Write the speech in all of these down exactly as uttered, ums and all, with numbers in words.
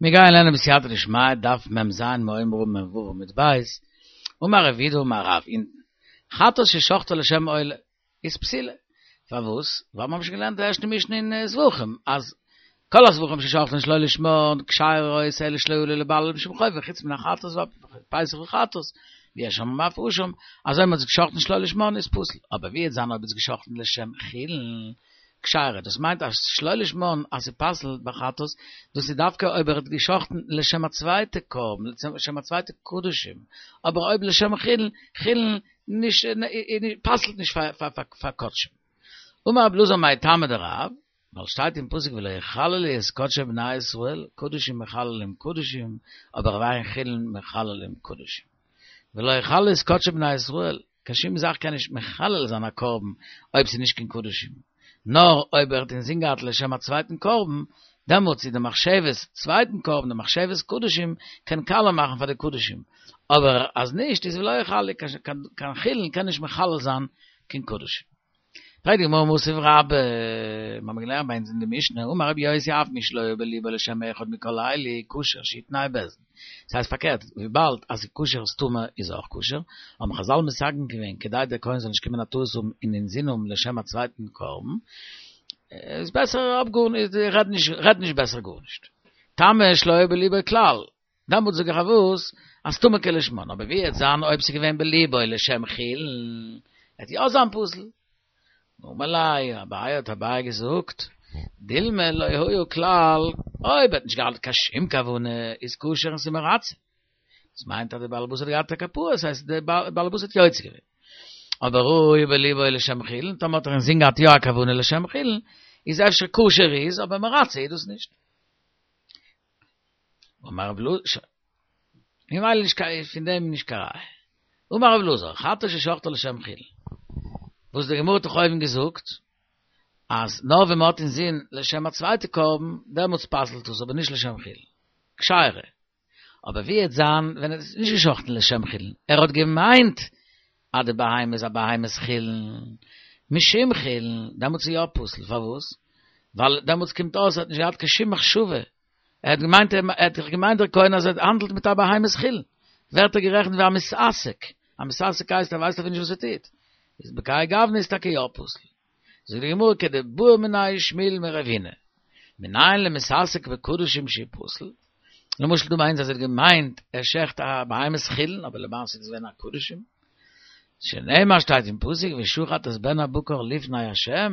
מיר גייען לערנען בסייעתא דשמיא, דף מ"ז מאומרו מ"ו עמוד ב', אמר רב יהודה אמר רב, אונטן, חטאת ששחטה לשם עולה, איז פסולה. פארוואס? ווייל מיר האבן שוין געלערנט די ערשטע משנה אין זבחים, אז כל הזבחים ששחטן שלא לשמן, כשרות אלא שלא עלו לבעליו משום חובה, חוץ מן החטאת והפסח וחטאת, ויש אומרים אף אשם, אז אויב מ'האט עס געשחטן שלא לשמן איז פסול, אבער ווי וועט זיין אויב איז געשחטן לשם חולין, כשרה, דאס מיינט אז שלא לשמן אז ס'פסל'ט ביי חטאת, דאס איז דווקא אויב ער האט געשחטן לשם א צווייטע קרבן, לשם א צווייטע קדשים, אבער אויב לשם חולין, חולין נישט פסל'ט נישט פאר קדשים. אמר רבי אלעזר מאי טעמא דרב, ווייל שטייט אין פסוק ולא יחללו את קדשי בני ישראל, קדשים מחללים קדשים, אבער ואין חולין מחללים קדשים. ולא יחללו את קדשי בני ישראל, קיין שום זאך קען נישט מחלל זיין א קרבן אויב ס'איז נישט קיין קדשים. נאר אויב ער האט אינזין געהאט לשם א צווייטן קרבן, דעמאלטס איז די מחשבת צווייטן קרבן, די מחשבת קדשים, קען קאלע מאכן פאר די קדשים. אבער אז נישט איז ולא יחללו, קיין חולין קען נישט מחלל זיין קיין קדשים. פרעגט די גמרא מתיב רבה, מיר האבן געלערנט ביי אונז אין די משנה, אמר רבי יוסי אף מי שלא היה בליבו לשם אחד מכל אלו, כשר שיתנהו בית דין. דאס הייסט פארקערט, וויבאלד אז ס'איז כשר איז טמא איז אויך כשר, האבן חז"ל מתקן געווען כדי דער כהן זאל נישט קומען א טעות האבן און אינזין האבן לשם א צווייטן קרבן, איז בעסער אפ גארנישט, רעד נישט, רעד נישט בעסער גארנישט. טמא שלא היה בליבו כלל, דעמאלטס זאג איך אויף וואס, אז טמא כלשמן, אבער ווי וועט זיין אויב ס'איז געווען בליבו לשם חולין, וועט יא זיין פסול. אמר ליה אביי האט אביי געזאגט, דילמא לא היה כלל, אויב ער האט נישט געהאט קיין שום כוונה, איז כשר און ס'איז מרצה. דאס מיינט אז דער בעל הבית האט געהאט א כפרה, דאס הייסט דער בעל הבית האט יוצא געווען. אבער היה בליבו לשם חולין, טאמער האט ער אינזין געהאט יא א כוונה לשם חולין, איז אפשר כשר איז, אבער מרצה איז דאס נישט. אמר רב אלעזר, ממילא נישט קיין, פון דעם נישט קיין ראיה. אמר רב אלעזר, חטאת ששחטה לשם חולין. וואס די גמרא האט דאך אויבן געזאגט, אז נאר ווען מ'האט אינזין לשם א צווייטע קרבן, דעמאלטס פסל'ט עס, אבער נישט לשם חולין. כשרה. אבער ווי וועט זיין ווען ער האט נישט געשחט'ן לשם חולין, ער האט געמיינט אז די בהמה איז א בהמת חולין, משום חולין, דעמאלטס איז יא פסול, פארוואס? ווייל דעמאלטס קומט אויס ער האט נישט געהאט קיין שום מחשבה, ער האט געמיינט ער האט זיך געמיינט דער כהן אז ער האנדלט מיט א בהמת חולין, ווערט ער גערעכנט ווי א מתעסק, א מתעסק הייסט ער ווייסט אפילו נישט וואס ער טוט, איז בכהאי גוונא איז טאקע יא פסול. זאגט די גמרא כדבעא מיניה שמואל מרב הונא, מנין למתעסק בקדשים שהוא פסול, למשל דא מיינט אז ער האט געמיינט ער שעכט א בהמת חולין אבער למעשה איז עס געווען א קדשים, שנאמר שטייט אין פסוק ושחט את בן הבקר לפני ה'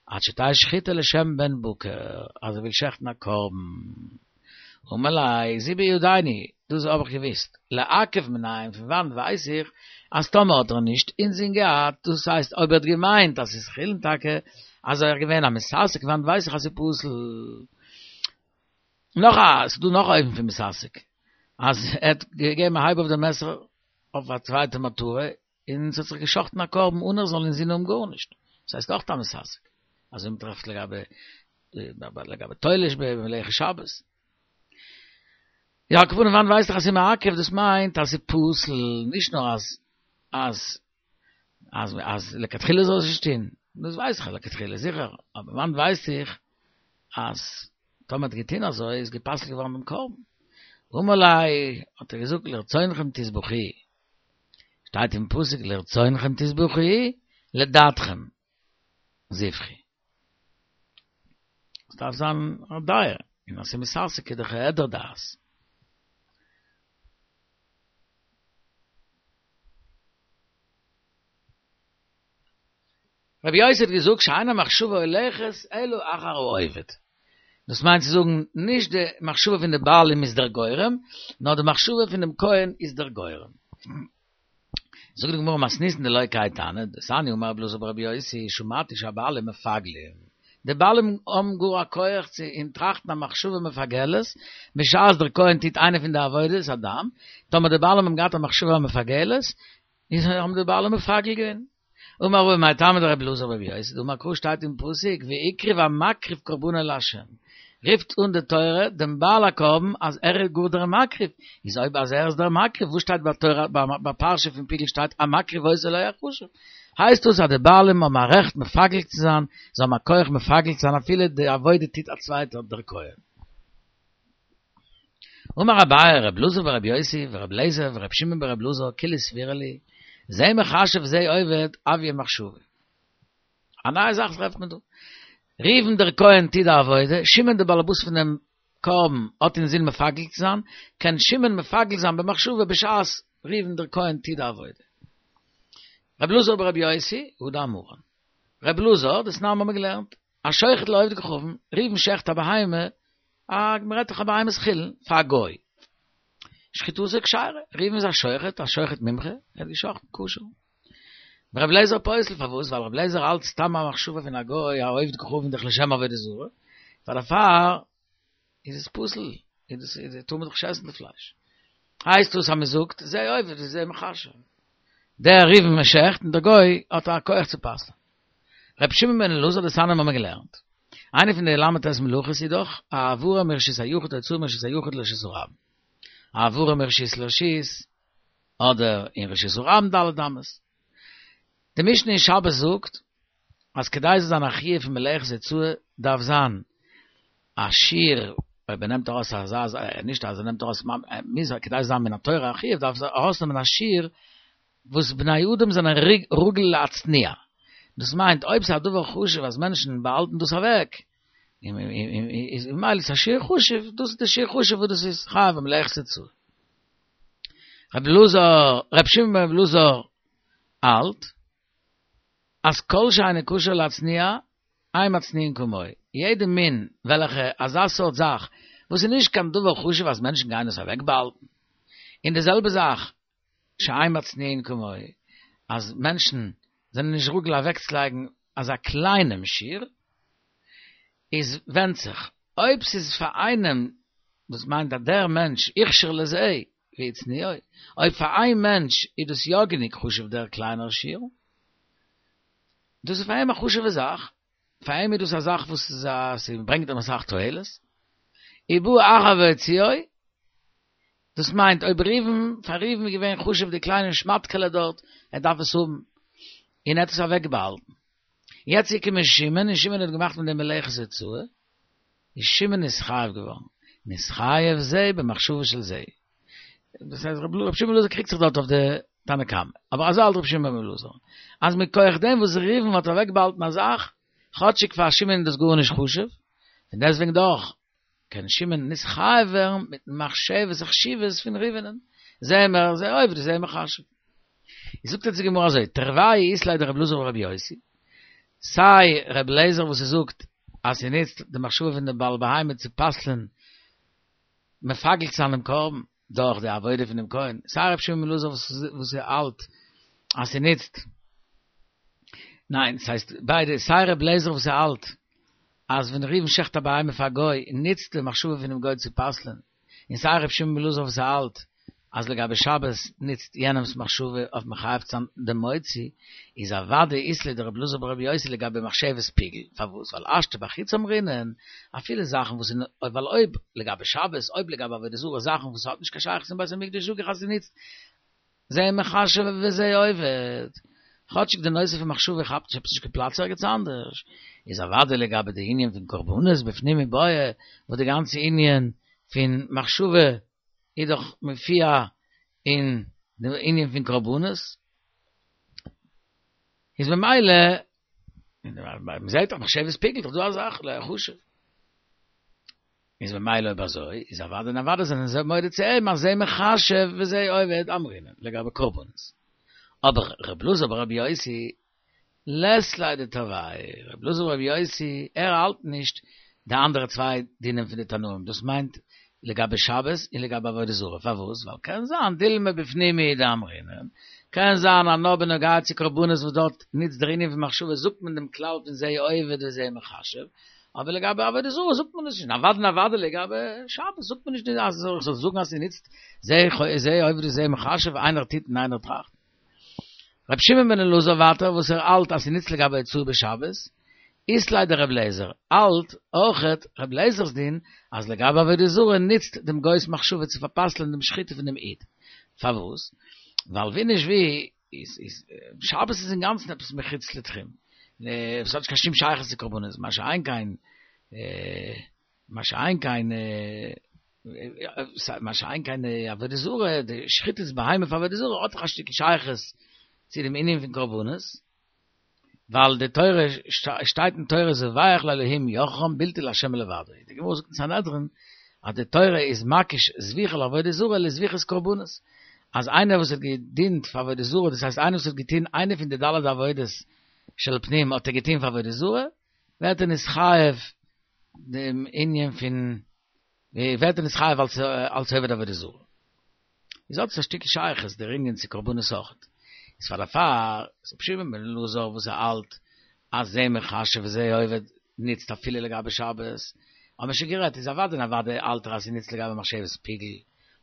עד שתהא שחיטה לשם בן בקר, אז ער וויל שעכטן א קרבן. אמר ליה, זו בידינו, דאס האב איך געוואוסט, לעכב מנין, פון וואנט ווייס איך אז טאמער האט ער נישט אינזין געהאט, דאס הייסט אויב ער האט געמיינט אז ס'איז חולין טאקע, אז ער איז געווען א מתעסק, פון וואנט ווייס איך אז ס'איז פסול? נאך א, ס'איז דא נאך א אופן פון מתעסק, אז ער האט געגעבן א הייב אויף די מעסער אויף א צווייטע מטרה, און ס'האט זיך געשאכטן א קרבן אן ער זאל אינזין האבן גארנישט, דאס הייסט אויך א מתעסק, אזוי מ'טרעפט לגבי לגבי תולש במלאכת שבת. יא, על כל פנים וואנעט ווייס איך אז ס'איז מעכב, דאס מיינט אז ס'איז פסול, נישט נאר אז אז אז אז לכתחילה זאל עס נישט טון, דאס ווייס איך אז לכתחילה זיכער, אבער וואנעט ווייס איך אז טאמער האט געטון אזוי איז גע'פסל'ט געווארן דעם קרבן. אמר ליה, האט ער געזאגט לרצונכם תזבחו, שטייט אין פסוק לרצונכם תזבחו, לדעתכם זבחו. עס דארף זיין א דעה, און אז ס'איז מתעסק איז דאך העדר דעת. רבי יוסי האט געזאגט שאין המחשבה הולכת אלא אחר העובד. דאס מיינט צו זאגן, נישט די מחשבה פון די בעלים איז דער גורם, נאר די מחשבה פון דעם כהן איז דער גורם. זאגט די גמרא מתניתין דלא כהאי תנא, דתניא אמר רבי אלעזר ברבי יוסי, שמעתי שהבעלים מפגלים, די בעלים האבן גאר א כח צו אין טראכטן א מחשבה מפגלת, בשעת דער כהן טוט איינע פון די עבודות הדם, טאמער די בעלים האבן געהאט א מחשבה מפגלת, איז האבן די בעלים מפגל געווען. אמר רבא מאי טעמא דרבי אלעזר ברבי יוסי, דאמר קרא שטייט אין פסוק והקריב המקריב קרבנו לה', רופט אן די תורה דעם בעל הקרבן אז ער איז גאר דער מקריב, איז אויב אז ער איז דער מקריב וואס שטייט ביי תורה ביי פרשה פון פיגול שטייט המקריב אותו לא יחשב, הייסט דאס אז די בעלים האבן א רעכט מפגל צו זיין, זיי האבן א כח מפגל צו זיין אפילו די עבודה טוט א צווייטער דער כהן. אמר אביי, רב אלעזר ברבי יוסי, ורב לייזר, ורב שמעון ברב אלעזר, כולהו סבירא להו, זה מחשב וזה עובד, הויא מחשבה. א נייע זאך טרעפט מען דא. ראובן דער כהן טוט די עבודה, שמעון דער באלעבאס פון דעם קרבן האט אינזין מפגל צו זיין, קען שמעון מפגל זיין במחשבה בשעת ראובן דער כהן טוט די עבודה. רב אלעזר ברבי יוסי, הא דאמרן. רב אלעזר, דתנן האבן מיר געלערנט, השוחט לעובדי כוכבים, ראובן שעכט א בהמה, א, מ'רעדט דאך א בהמת חולין, פאר א גוי. שחיטתו כשרה, ראובן איז א שוחט, א שוחט מומחה, ער האט געשחט'ן כשר. רב לייזער פוסל, פארוואס? ווייל רב לייזער האלט סתם א מחשבה פון א גוי, א עובד כוכבים דאך לשם עבודה זרה, פאר דערפאר איז עס פסול, איז עס, איז, טאר מען דאך נישט עסן די פלייש. הייסט דאס אז מען זאגט, זה עובד וזה מחשב. דער ראובן שעכט און דער גוי האט א כח צו פסל'ן. רבי שמעון בן אלעזר דתנן האבן מיר געלערנט. איינע פון די ל"ט מלאכות איז דאך העברה מרשות היחיד הוצאה מרשות היחיד לרשות הרבים. העברה מרשות לרשות, אדער אין רשות הרבים ד' אמות. די משנה אין שבת זאגט אז כדי ס'זאל זיין א חיוב פון מלאכת הוצאה דארף זיין א שיעור, אויב ער נעמט ארויס אזא, נישט אז ער נעמט ארויס, מוז כדי ס'זאל זיין מן התורה א חיוב דארף ער ארויסנעמען א שיעור וואס בני אדם זענען רגיל להצניע, דאס מיינט אויב ס'איז א דבר חשוב אז מענטשן באהאלטן דאס אוועק, איז ממילא איז א שיעור חשוב, דאס איז די שיעור חשוב וואס דאס איז חייב במלאכת הוצאה. רבי אלעזר, רבי שמעון בן אלעזר האלט אז כל שאינו כשר להצניע, אין מצניעין כמוהו, יעדע מין וועלכע אזא סארט זאך וואס איז נישט קיין דבר חשוב אז מענטשן גייען עס אוועקבאהאלטן, און די זעלבע זאך שאין מצניעין כמוהו, אז מענטשן זענען נישט רגיל אוועקצולייגן אזא קליינעם שיעור, איז ווענדט זיך, אויב ס'איז פאר איינעם, דאס מיינט אז דער מענטש הוכשר לזה והצניעו, אויב פאר איין מענטש איז דאס יא גענוג חשוב דער קליינער שיעור, דאס איז פאר אים א חשוב'ע זאך, פאר אים איז דאס א זאך וואס איז א, ס'ברענגט אים אסאך תועלת, ובא אחר והוציאו, דאס מיינט אויב ראובן, פאר ראובן איז געווען חשוב די קליינע שמאטקעלע דארט, ער דארף עס האבן, און ער האט עס אוועקבאהאלטן. יעצט איז געקומען שמעון, און שמעון האט געמאכט מיט דעם מלאכת הוצאה, איז שמעון נתחייב געווארן, נתחייב זה במחשבה של זה. דאס הייסט רבי שמעון בן אלעזר קריגט זיך דארט אויף די תנא קמא, אבער אזוי האלט רבי שמעון בן אלעזר, אז מכח דעם וואס ראובן האט אוועקבאהאלטן א זאך, כאטשיג פאר שמעון איז דאס גארנישט חשוב, פון דעסטוועגן דאך קען שמעון נתחייב ווערן מיטן מחשבת החשיבות פון ראובנ'ן, זה מ זה עובד וזה מחשב. איז זאגט אונז די גמרא אזוי, תרוייהו אית להו דרבי אלעזר ברבי יוסי, סיי רבי אליעזר וואס ער זאגט אז ס'נוצט די מחשבה פון די בעל בהמה צו פסל'ען מפגל צו זיין דעם קרבן דורך די עבודה פון דעם כהן, סיי רבי שמעון בן אלעזר וואס ער האלט אז ס'נוצט, ניין, ס'הייסט ביידע, סיי רבי אליעזר וואס ער האלט אז ווען ראובן שעכט א בהמה פאר א גוי נוצט די מחשבה פונעם גוי צו פסל'ען, און סיי ר' שמעון בן אלעזר וואס האלט אז לגבי שבת נוצט יענעמ'ס מחשבה אויף מחייב צו זיין דעם מוציא, איז אוודאי אית ליה דרבי אלעזר ברבי יוסי לגבי מחשבת פיגול, פארוואס? ווייל השתא בחוץ אמרינן, אפילו זאכן וואס איז, ווייל אויב לגבי שבת, אויב לגבי עבודה זרה זאכן וואס האט נישט קיין שייכות צום בית המקדש זאג איך אז ס'נוצט זה מחשב וזה עובד. כאטשיג די נושא פון מחשבה כאפט נישט עפעס נישט קיין פלאץ ערגעץ אנדערש, איז אוודאי לגבי די ענין פון קרבנות בפנים מיבעיא, וואס די גאנצע ענין פון מחשבה איז דאך מופיע אין די ענין פון קרבנות, איז ממילא, מ'זעט דאך מחשבת פיגול דאך דא א זאך, לא חשוב. איז ממילא אויב אזוי, איז אוודאי און אוודאי זענען זיי מודה צו אים אז זה מחשב וזה עובד אמרינן לגבי קרבנות. אבער ר' אלעזר ברבי יוסי לית ליה דתרוייהו, ר' אלעזר ברבי יוסי ער האלט נישט די אנדערע צוויי דינים פון די תנאים, דאס מיינט לגבי שבת און לגבי עבודה זרה, פארוואס? ווייל קען זיין דילמא בפנים הוא דאמרינן, קען זיין אז נאר בנוגע צו קרבנות וואס דארט נוצט דער ענין פון מחשבה זאגט מען דעם כלל פון זה עובד וזה מחשב, אבער לגבי עבודה זרה זאגט מען עס נישט, אוודאי און אוודאי לגבי שבת זאגט מען נישט אז איך זאל זאגן אז ס'נוצט זה זה עובד וזה מחשב, איינער טוט און איינער טראכט. רבי שמעון בן אלעזר ווייטער וואס ער האלט אז ס'נוצט לגבי הוצאה בשבת, אית ליה דרבי אליעזר האלט אויכעט רבי אליעזר'ס דין אז לגבי עבודה זרה נוצט דעם גוי'ס מחשבה צו פאר'פסל'ען דעם שחיטה פון דעם איד. פארוואס? ווייל ווי נישט ווי איז איז שבת איז אינגאנצן עפעס מחוץ לתחום, עס האט נישט קיין שום שייכות צו קרבנות, מה שאין כן מה שאין כן מה שאין כן עבודה זרה, די שחיטת בהמה פאר עבודה זרה האט דאך א שטיקל שייכות צו דעם ענין פון קרבנות, ווייל די תורה שטייט אין תורה זבח לאלהים יחרם בלתי לה' לבדו. די גמרא זאגט אין סנהדרין אז די תורה איז מקיש זביחה לעבודה זרה לזביחת קרבנות, אז איינער וואס האט געדינט פאר עבודה זרה, דאס הייסט איינער וואס האט געטון איינע פון די ד' עבודות של פנים האט ער געטון פאר עבודה זרה, ווערט ער נתחייב דעם ענין פון ווערט ער נתחייב אלס אלס עובד עבודה זרה. איז האט עס א שטיקל שייכות דער ענין צו קרבנות אויכעט. איז פאר דערפאר איז רבי שמעון בן אלעזר וואס ער האלט אז זה מחשב וזה עובד ניצט אפילו לגבי שבת, האבן מיר שוין גערעדט איז אוודאי און אוודאי האלט ער אז ס'ניצט לגבי מחשבת פיגול,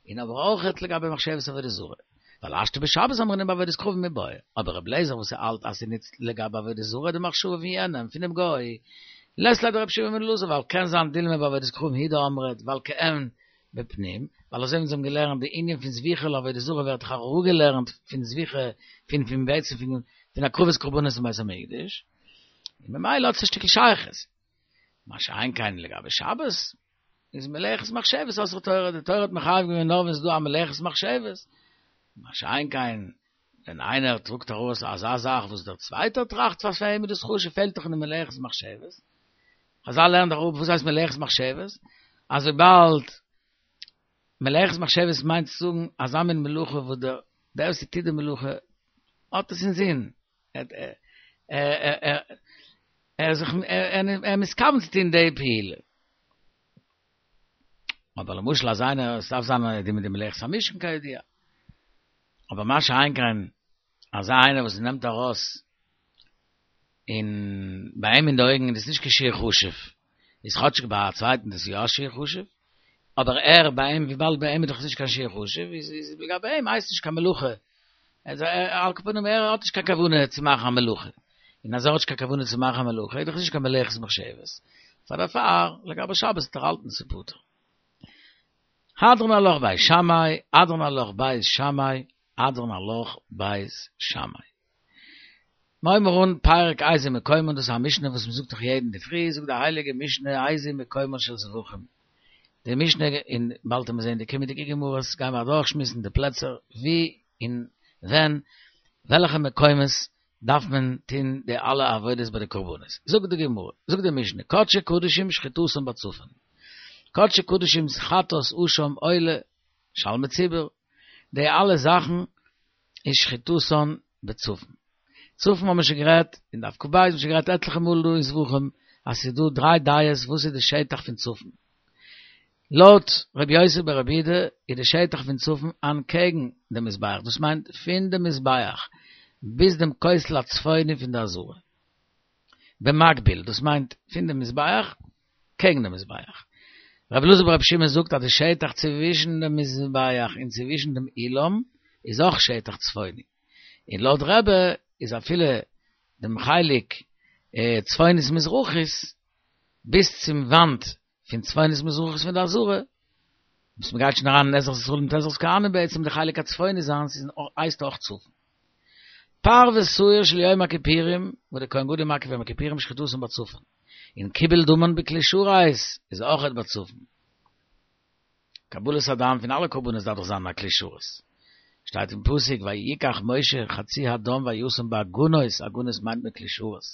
און אבער אויכעט לגבי מחשבת עבודה זרה. ווייל השתא בשבת אמרינן בעבודת כוכבים מיבעיא, אבער רבי אליעזר וואס ער האלט אז ס'ניצט לגבי עבודה זרה די מחשבה פון יענעם, פונעם גוי, לית ליה דרבי שמעון בן אלעזר ווייל קען זיין דילמא בעבודת כוכבים הוא דאמרת ווייל כעין בפנים, ווייל אזוי ווי אונז האבן געלערנט די ענין פון זביחה לעבודה זרה ווערט דאך אראפגעלערנט פון זביחה פון פון בעצם פון פון הקרבת קרבנות אין בית המקדש, און ממילא האט עס א שטיקל שייכות. מה שאין כן לגבי שבת, איז מלאכת מחשבת אסרה תורה, די תורה האט מחייב געווען נאר ווען ס'איז דא א מלאכת מחשבת, מה שאין כן ווען איינער טראגט ארויס אזא זאך וואס דער צווייטער טראכט פאר פאר אים איז דאס חשוב פעלט דאך אין די מלאכת מחשבת, חזל לערנען דאך אפ וואס הייסט מלאכת מחשבת, אז וויבאלד מלאכת מחשבת מיינט צו זאגן אזא מין מלאכה וואס דער דער וואס טוט די מלאכה האט עס אינזין, ער ער איז זיך ער איז מתכוון צו טון די פעולה. אבער למשל אז איינער, עס דארף זיין די מיט די מלאכת המשכן כידוע, אבער מה שאין כן אזא איינער וואס נעמט ארויס און ביי אים אין די אויגן איז דאס נישט קיין שיעור חשוב, איז כאטשיג ביי א צווייטן דאס יא א שיעור חשוב, אבער ער ביי אים וויבאלד ביי אים איז דאך נישט קיין שיעור חשוב איז איז לגבי אים הייסט נישט קיין מלאכה, על כל פנים ער האט נישט קיין כוונה צו מאכן א מלאכה, און אז ער האט נישט קיין כוונה צו מאכן א מלאכה איז דאך נישט קיין מלאכת מחשבת, פאר דערפאר לגבי שבת וועט ער האלטן ס'איז פטור. הדרן עלך בית שמאי, הדרן עלך בית שמאי, הדרן עלך בית שמאי. מ'הייבט אן פרק איזהו מקומן, דאס איז א משנה וואס מ'זאגט דאך יעדן אינדערפרי, זאגט די הייליגע משנה איזהו מקומן של זבחים. די משנה און באלד וועט מען זען די קומענדיגע גמרות גייען מיר אדורכשמועסן די פלעצער ווי און ווען וועלכע מקומות דארף מען טון די אלע עבודות ביי די קרבנות. זאגט די גמרא, זאגט די משנה, קדשי קדשים שחיטתן בצפון, קדשי קדשים חטאת אשם עולה שלמי ציבור, די אלע זאכן איז שחיטתן בצפון. צפון האבן מיר שוין גערעדט אין דף כ"ב, מיר האבן שוין גערעדט עטליכע מאל דא אין זבחים אז ס'איז דא דריי דעות וואס איז די שטח פון צפון. לויט רבי יוסי ברבי יהודה איז די שטח פון צפון אנטקעגן דעם מזבח, דאס מיינט פון דעם מזבח ביז דעם כותל הצפוני פון די עזרה, במקביל, דאס מיינט פון דעם מזבח קעגן דעם מזבח. רבי אלעזר ברבי שמעון זאגט אז די שטח צווישן דעם מזבח און צווישן דעם אולם איז אויך שטח צפוני, און לויט רבי איז אפילו דעם חלק צפונית מזרחית ביז צום וואנט פון צפונית מזרחית פון די עזרה, וואס מ'גייט שוין אריין אין עזרת ישראל מיט עזרת כהנים בעצם די חלק הצפוני זיינס איז הייסט אויך צפון. פר ושעיר של יום הכיפורים, וואס די כהן גדול מקריב יום הכיפורים שחיטתן בצפון, און קיבל דמן בכלי שרת איז אויכעט בצפון. קבלת הדם פון אלע קרבנות דארף דאך זיין אין א כלי שרת. שטייט אין פסוק ויקח משה חצי הדם וישם באגנות, אגנות מיינט מען כלי שרת.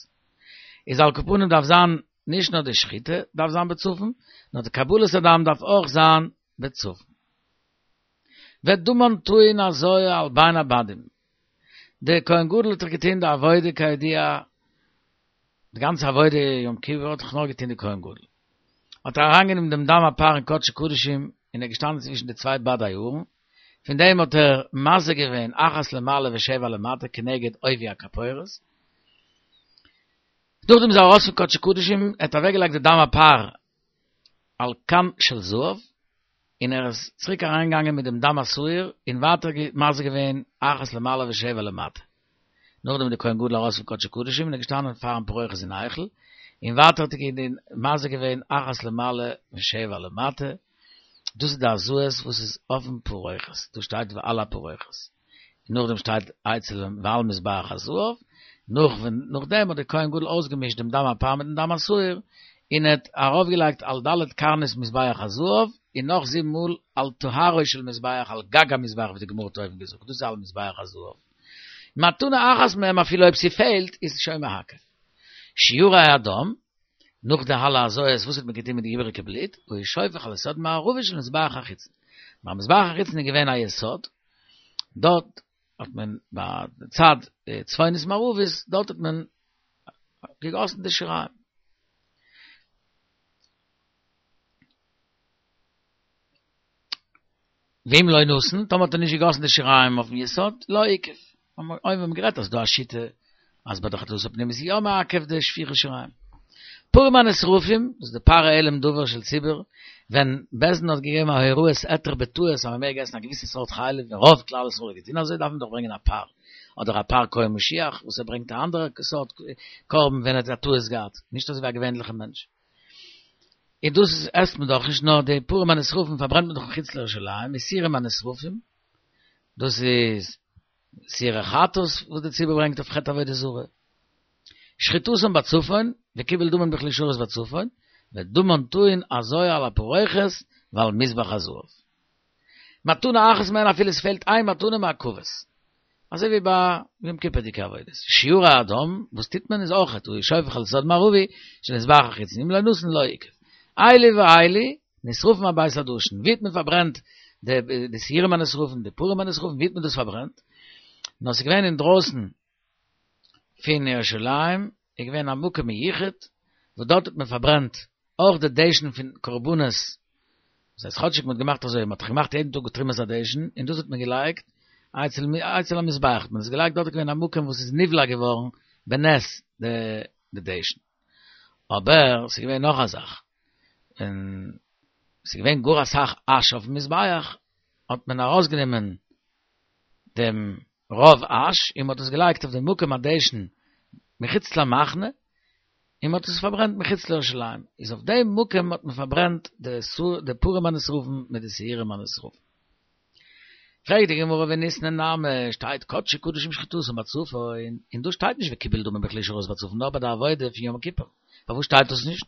איז על כל פנים דארף זיין נישט נאר די שחיטה דארף זיין בצפון, נאר די קבלת הדם דארף אויך זיין בצפון. ודמן טעון הזאה על בין הבדים. דער כהן גדול האט דאך געטון די עבודה כידוע, די גאנצע עבודה יום כיפור האט דאך נאר געטון די כהן גדול. האט ער אריינגענומען דעם דם הפר אין קדשי קדשים און ער איז געשטאנען צווישן די צוויי בדי הארון, פון דעם האט ער מזה געווען אחת למעלה ושבע למטה כנגד עובי הכפורת. נאכדעם איז ער ארויס פון קדשי קדשים, ער האט אוועקגעלייגט די דם הפר על כן של זהב, און ער איז צוריק אריינגעגאנגען מיט דעם דם השעיר און ווייטער מזה געווען אחת למעלה ושבע למטה. נאכדעם איז דער כהן גדול ארויס פון קדשי קדשים און איז געשטאנען פארן פרוכת אין היכל, און ווייטער האט ער מזה געווען אחת למעלה ושבע למטה, דאס איז די הזאות וואס איז אויפן פרוכת, דא שטייט ועל הפרוכת, און נאכדעם שטייט אצל ועל מזבח הזהב, נאך נאכדעם האט דער כהן גדול אויסגעמישט דעם דם הפר מיטן דם השעיר, און ער האט ארויפגעלייגט על ד' קרנות מזבח הזהב, און נאך זיבן מאל על טהרו של מזבח, על גג המזבח ווי די גמרא האט אויבן געזאגט, דאס איז על מזבח הזהב. מתנה אחת מהם אפילו אויב ס'פעלט איז שוין מעכב. שיורי הדם, נאך די אלע הזאות וואס האט מען געטון מיט די איבעריגע בלוט, היה שופך על יסוד מערבי של מזבח החיצון. ביים מזבח החיצון איז געווען א יסוד, דארט האט מען ביי די צד צפונית מערבית, דארט האט מען געגאסן די שיריים. ואם לא נתן, טאמער האט ער נישט געגאסן די שיריים אויפן יסוד, לא עיכב. אויבן האבן מיר גערעדט אז ס'דא א שיטה אז ביי די חטאת הפנימית איז יא מעכב די שפיכת שיריים. פרים הנשרפים, דאס איז די פר העלם דבר של ציבור, ווען בית דין האט געגעבן א הוראת היתר בטעות אז מען מעג עסן א געוויסע סארט חלב און רוב כלל ישראל האט געטון אזוי דארף מען דאך ברענגען א פר, אדער א פר כהן משיח וואס ער ברענגט א אנדערע סארט קרבן ווען ער האט א טעות געהאט, נישט אזוי ווי א געווענליכע מענטש. און דאס עסט מען דאך נישט נאר די פרים הנשרפים פארברענט מען דאך מחוץ לירושלים, ושעירים הנשרפים, דאס איז שעירי חטאת וואס די ציבור ברענגט אויף חטא עבודה זרה. שחיטתן בצפון, וקיבול דמן בכלי שרת בצפון, ודמן טעון הזאה על הפרוכת ועל מזבח הזהב. מתנה אחת מהן אפילו עס פעלט איין מתנה מעכבת. אזוי ווי ביי יום כיפור'דיגע עבודות. שיורי הדם, וואס טוט מען איז אויכעט, היה שופך על יסוד מערבי, של מזבח החיצון, אם לא נתן לא עיכב. אלו ואלו, נשרפים על בית הדשן. ווי האט מען פארברענט די שעירים הנשרפים, די פרים הנשרפים, ווי האט מען דאס פארברענט? נאר ס'איז געווען אינדרויסן פון ירושלים, איז געווען א מקום מיוחד, וואס דארט האט מען פארברענט אויך די דשן פון קרבנות, דאס הייסט כאטשיג מען האט געמאכט אזוי, מען האט דאך געמאכט יעדן טאג תרומת הדשן, און דאס האט מען געלייגט אצל אצל המזבח, האט מען עס געלייגט דארט איז געווען א מקום וואס איז נבלע געווארן בנס די דשן. אבער ס'איז געווען נאך א זאך, ווען ס'איז געווען גאר אסאך אש אויפן מזבח, האט מען ארויסגענומען דעם רוב אש און מ'האט עס געלייגט אויף דעם מקום הדשן מחוץ למחנה, און מ'האט עס פארברענט מחוץ לירושלים, איז אויף דעם מקום האט מען פארברענט די פרים הנשרפים מיט די שעירים הנשרפים. פרעגט די גמרא וניתני נמי, שטייט קדשי קדשים שחיטתן בצפון, און דא שטייט נישט וקיבל דמן בכלי שרת בצפון נאר ביי די עבודה פון יום כיפור, פארוואס שטייט דאס נישט?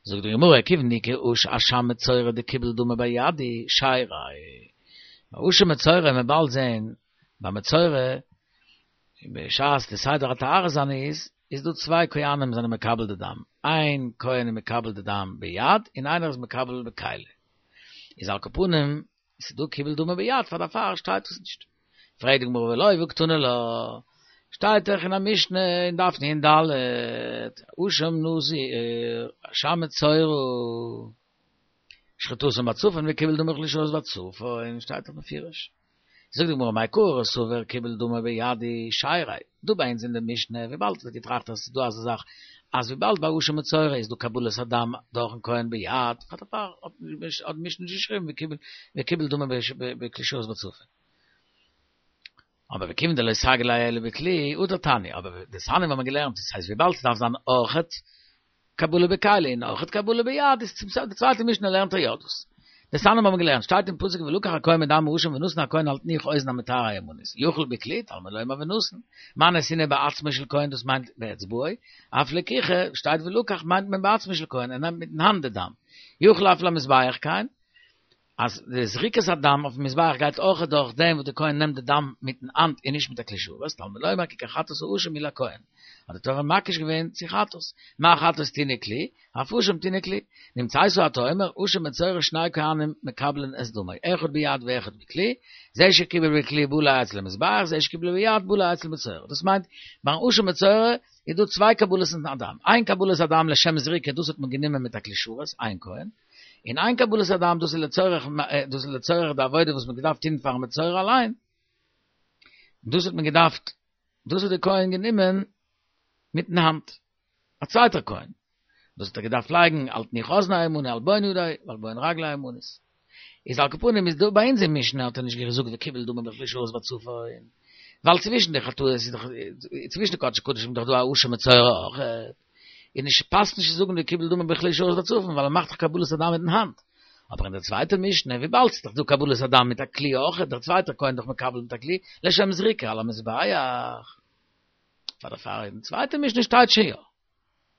זאגט די גמרא כיוון דאיכא אשם מצורע דקיבל דמא ביד הוא שייריה, ביי אשם מצורע וועט מען באלד זעהן ביי מצורע בשעת די סדר הטהרה זיינע איז איז דא צוויי כהנים זענען מקבל די דם, איין כהן איז מקבל די דם ביד און איינער איז מקבל בכלי, איז על כל פנים ס'איז דא קיבל דמא ביד פאר דערפאר שטייט עס נישט. פרעגט די גמרא ולא והא קתני לה, שטייט דאך אין א משנה אין דף נ"ד, אשם נזיר, אשם מצורע, שחיטתן בצפון וקיבל דמו בכלי שרת בצפון, שטייט דאך בפירוש. זאגט די גמרא מעיקרא סבר קיבל דמו ביד הוא שייריה, דא ביי אונז אין די משנה, וויבאלד ער האט געטראכט אז עס איז דא אזא זאך אז וויבאלד ביי אשם מצורע איז דא קבלת הדם דורכן כהן ביד, פאר דערפאר האט די משנה נישט געשריבן וקיבל דמו בכלי שרת בצפון. אבער וכיוון דלא סגי ליה אלא בכלי, הדר תני, אבער דתניא האבן מיר געלערנט, דאס הייסט וויבאלד ס'דארף זיין אויכעט קבלה בכלי און אויכעט קבלה ביד איז צום סוף די צווייטע משנה לערנט ער יא דאס. דתניא האבן מיר געלערנט, שטייט אין פסוק ולקח הכהן מדם האשם ונתן הכהן על תנוך אוזן המטהר הימנית, יכול בכלי, תלמוד לומר ונתן, מה נתינה בעצמו של כהן דאס מיינט באצבעו, אף לקיחה, שטייט ולקח מיינט מען בעצמו של כהן, ער נעמט מיטן האנט די דם, יכול אף למזבח כן, אז די זריקת הדם אויפן מזבח גייט אויך דורך דעם וואס די כהן נעמט די דם מיטן האנט און נישט מיט א כלי שרת, תלמוד לומר כי כחטאת האשם הוא לכהן, האט די תורה מקיש געווען צו חטאת, מה חטאת טעונה כלי, אף אשם טעונה כלי, נמצאת אתה אומר, אשם מצורע שני כהנים מקבלין את דמו, אחד ביד ואחד בכלי, זה שקיבל בכלי בא לו אצל המזבח, זה שקיבל ביד בא לו אצל מצורע, דאס מיינט, ביים אשם מצורע איז דא צוויי קבלות הדם, איין קבלת הדם לשם זריקה דאס האט מען גענומען מיט א כלי שרת, איין כהן, און איין קבלת הדם דאס איז לצורך דאס איז לצורך די עבודה וואס מען האט געדארפט טון פארן מצורע אליין, דאס האט מען געדארפט, דאס האט דער כהן גענומען מיטן האנט, א צווייטער כהן, דאס האט ער געדארפט לייגן על תנוך אזנו הימני על בוהן ידו ועל בוהן רגלו הימנית. איז על כל פנים איז דא ביי אונז אין משנה האט ער נישט געזאגט וקיבל דמו בכלי שרת בצפון, ווייל צווישן די חטאות איז דאך צווישן די קדשי קדשים איז דאך דא א אשם מצורע אויך, איז נישט פאסט נישט צו זאגן וקיבל דמו בכלי שרת בצפון ווייל ער מאכט דאך קבלת הדם מיטן האנט, אבער אין דער צווייטער משנה וויבאלד ס'איז דאך דא קבלת הדם מיט א כלי אויך, דער צווייטער כהן דאך מקבל מיט א כלי לשם זריקה על המזבח. פאר דערפאר אין צווייטע משנה שטייט שוין יא.